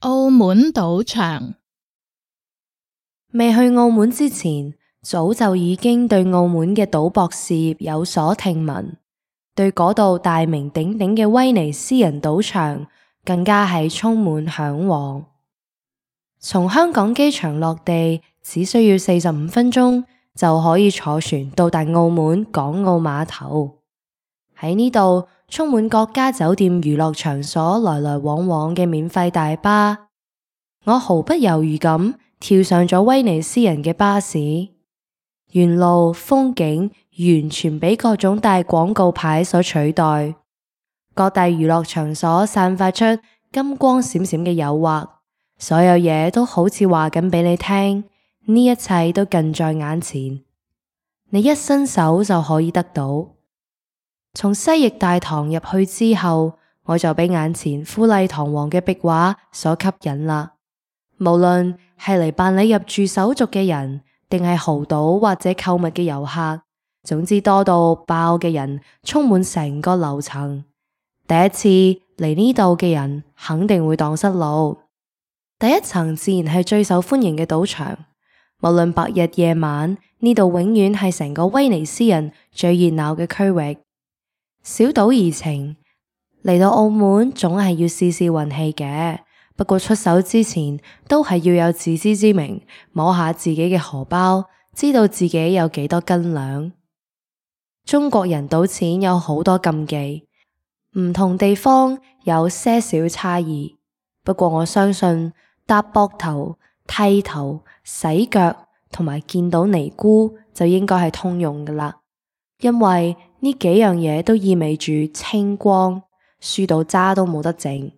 澳門賭場。未去澳門之前，早就已經對澳門嘅賭博事業有所聽聞，對嗰度大名鼎鼎嘅威尼斯人賭場更加係充滿向往。從香港機場落地只需要45分鐘就可以坐船到達澳門港澳碼頭。喺呢度充滿各家酒店娛樂場所來來往往嘅免費大巴，我毫不猶豫咁跳上咗威尼斯人嘅巴士。沿路風景完全俾各種大廣告牌所取代，各大娛樂場所散發出金光閃閃嘅誘惑，所有嘢都好似話緊俾你聽，呢一切都近在眼前，你一伸手就可以得到。從西翼大堂入去之後，我就俾眼前富麗堂皇嘅壁畫所吸引啦。無論係嚟辦理入住手續嘅人，定係豪賭或者購物嘅遊客，總之多到爆嘅人充滿成個樓層。第一次嚟呢度嘅人肯定會蕩失路。第一層自然係最受歡迎嘅賭場，無論白日夜晚，呢度永遠係成個威尼斯人最熱鬧嘅區域。小賭怡情，嚟到澳門總係要試試運氣嘅，不過出手之前都係要有自知之明，摸下自己嘅荷包，知道自己有幾多斤兩。中國人賭錢有好多禁忌，唔同地方有些少差異，不過我相信搭膊頭、剃頭、洗腳同埋見到尼姑就應該係通用噶啦，因為呢幾樣嘢都意味住清光，輸到渣都冇得剩。